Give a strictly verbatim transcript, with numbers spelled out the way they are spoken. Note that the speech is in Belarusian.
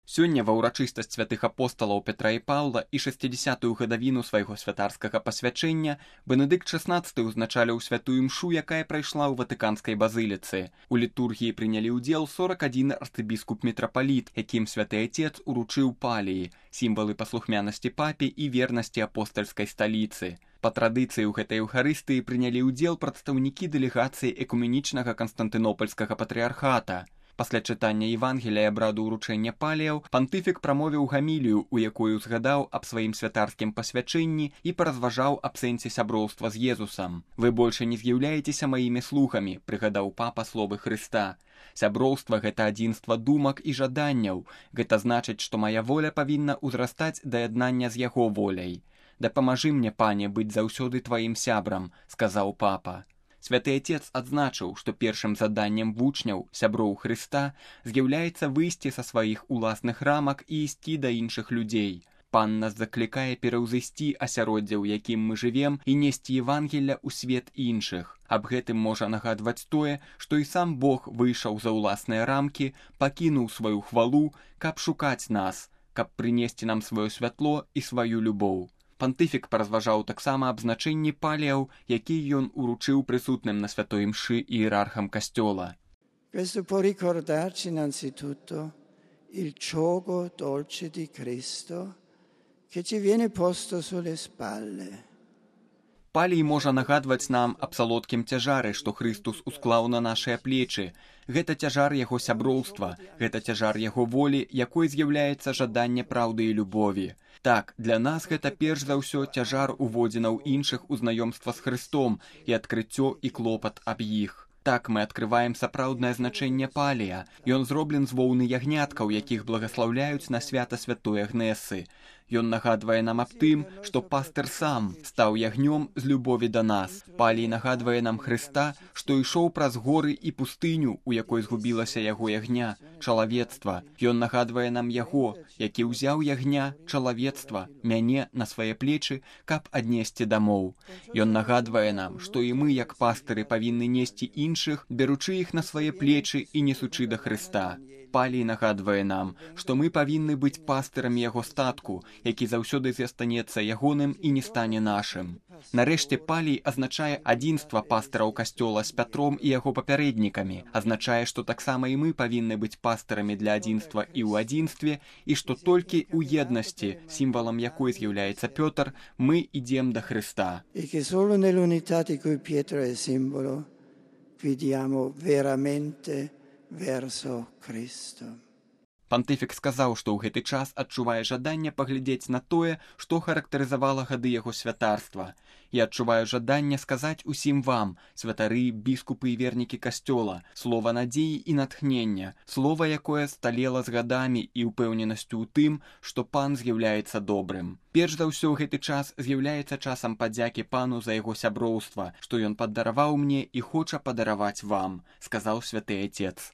Сёння ва ўрачыстасць святых апосталаў Петра і Паўла і шэсцідзясятую гадавіну свайго святарскага пасвячэння Бенедыкт шаснаццаты ўзначаліў святую імшу, якая прайшла ў Ватыканскай базыліцы. У літургіі прынялі ўдзел сорак адзін арцыбіскуп-мітрапаліт, якім святы Отец уручыў паліі, сімвалы паслухмянасці папе і вернасці апостальскай сталіцы. Па традыцыі ў гэтай эўхарыстыі прынялі ўдзел прадстаўнікі дэлегацыі экуменічнага канстантынопальскага патрыархата. Пасля чытання Евангелія і абраду ўручэння паліяў пантыфік прамовіў гамілію, у якой узгадаў аб сваім святарскім пасвячэнні і паразважаў аб сэнсе сяброўства з Езусам. «Вы больше не з'яўляецеся маімі слугамі», прыгадаў папа словы Хрыста. Сяброўства – гэта адзінства думак і жаданняў. Гэта значыць, што мая воля павінна ўзрастаць да яднання з яго воляй. «Дапамажы мне, пане, быць заўсёды тваім сябрам», сказаў папа. Святы Отец адзначыў, што першым заданнем вучняў, сяброў Хрыста, з'яўляецца выйсці са сваіх уласных рамак і ісці да іншых людзей. Пан нас заклікае пераўзысці асяроддзе, у якім мы жывем, і несці Евангелля ў свет іншых. Аб гэтым можа нагадваць тое, што і сам Бог выйшаў за ўласныя рамкі, пакінуў сваю хвалу, каб шукаць нас, каб прынесці нам сваё святло і сваю любоў. Пантыфік паразважаў таксама аб значэнні паліяў, які ён уручыў прысутным на святой імшы іерархам касцёла. Questo può ricordarci innanzitutto il giogo dolce di Cristo che ci viene posto sulle spalle. Палій можа нагадваць нам аб салодкім цяжары, што Хрыстус усклаў на нашыя плечы. Гэта цяжар яго сяброўства, гэта цяжар яго волі, якой з'яўляецца жаданне праўды і любові. Так, для нас гэта перш за ўсё цяжар уводзінаў іншых у знаёмства з Хрыстом і адкрыццё і клопат аб іх. Так мы адкрываем сапраўднае значэнне палія. Ён зроблен з воўны ягняткаў, якіх благаслаўляюць на свята святой Агнесы. Ён нагадвае нам аб тым, што пастыр сам стаў ягнём з любові да нас. Палій нагадвае нам Хрыста, што ішоў праз горы і пустыню, у якой згубілася яго ягня, чалавецтва. Ён нагадвае нам яго, які ўзяў ягня, чалавецтва, мяне на свае плечы, каб аднесці дамоў. Ён нагадвае нам, што і мы, як пастыры, павінны несці іншых, беручы іх на свае плечы і несучы да Хрыста. Палій нагадвае нам, што мы павінны быць пастырамі яго статку, які заўсёды застанецца ягоным і не стане нашым. Нарэшце палій азначае адзінства пастыраў касцёла з Пятром і яго папярэднікамі, азначае, што таксама і мы павінны быць пастырамі для адзінства і ў адзінстве, і што толькі ў еднасці, сімвалам якой з'яўляецца Пётр, мы ідзем да Хрыста. І que solo nell'unità di cui Pietro è simbolo vediamo veramente verso Cristo. Пантыфік сказаў, што ў гэты час адчувае жаданне паглядзець на тое, што характарызавала гады яго святарства. І адчуваю жаданне сказаць усім вам, святары, біскупы і вернікі касцёла, слова надзеі і натхнення, слова, якое сталела з гадамі і ўпэўненасцю ў тым, што пан з'яўляецца добрым. Перш за ўсё гэты час з'яўляецца часам падзякі пану за яго сяброўства, што ён паддараваў мне і хоча падараваць вам, сказаў святы Отец.